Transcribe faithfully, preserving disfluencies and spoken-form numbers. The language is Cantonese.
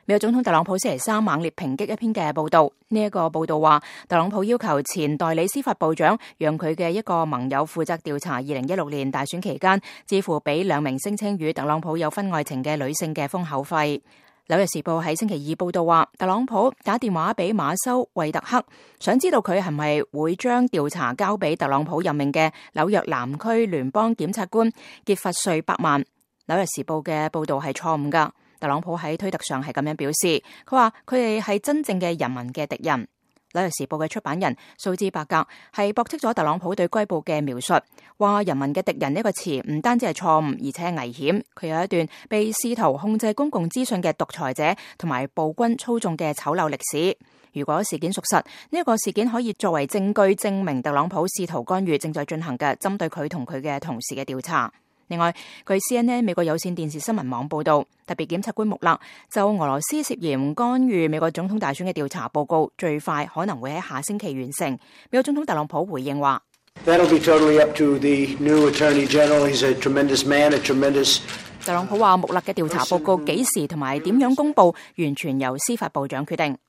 美國總統特朗普星期三猛烈抨擊一篇嘅報道，呢、這、一個報道話，特朗普要求前代理司法部長讓佢嘅一個盟友負責調查二零一六年大選期間，支付俾兩名聲稱與特朗普有婚外情嘅女性嘅封口費。紐約時報喺星期二報道話，特朗普打電話俾馬修惠特克，想知道佢係咪會將調查交俾特朗普任命嘅紐約南區聯邦檢察官傑弗瑞伯曼。紐約時報嘅報道係錯誤㗎。特朗普喺推特上係咁樣表示，佢話佢哋係真正嘅人民嘅敵人。紐約時報嘅出版人蘇茲伯格係駁斥咗特朗普對該報嘅描述，話人民嘅敵人呢個詞唔單止係錯誤，而且係危險。佢有一段被試圖控制公共資訊嘅獨裁者同埋暴君操縱嘅醜陋歷史。如果事件屬實，呢、這、一個事件可以作為證據證明特朗普試圖干預正在進行嘅針對佢同佢嘅同事嘅調查。另外，據 C N N 美國有線電視新聞網報道，特別檢察官穆勒就俄羅斯涉嫌干預美國總統大選嘅調查報告，最快可能會喺下星期完成。美國總統特朗普回應話：That'll be totally up to the new Attorney General. He's a tremendous man, a tremendous。特朗普話穆勒嘅調查報告幾時同埋點樣公佈，完全由司法部長決定。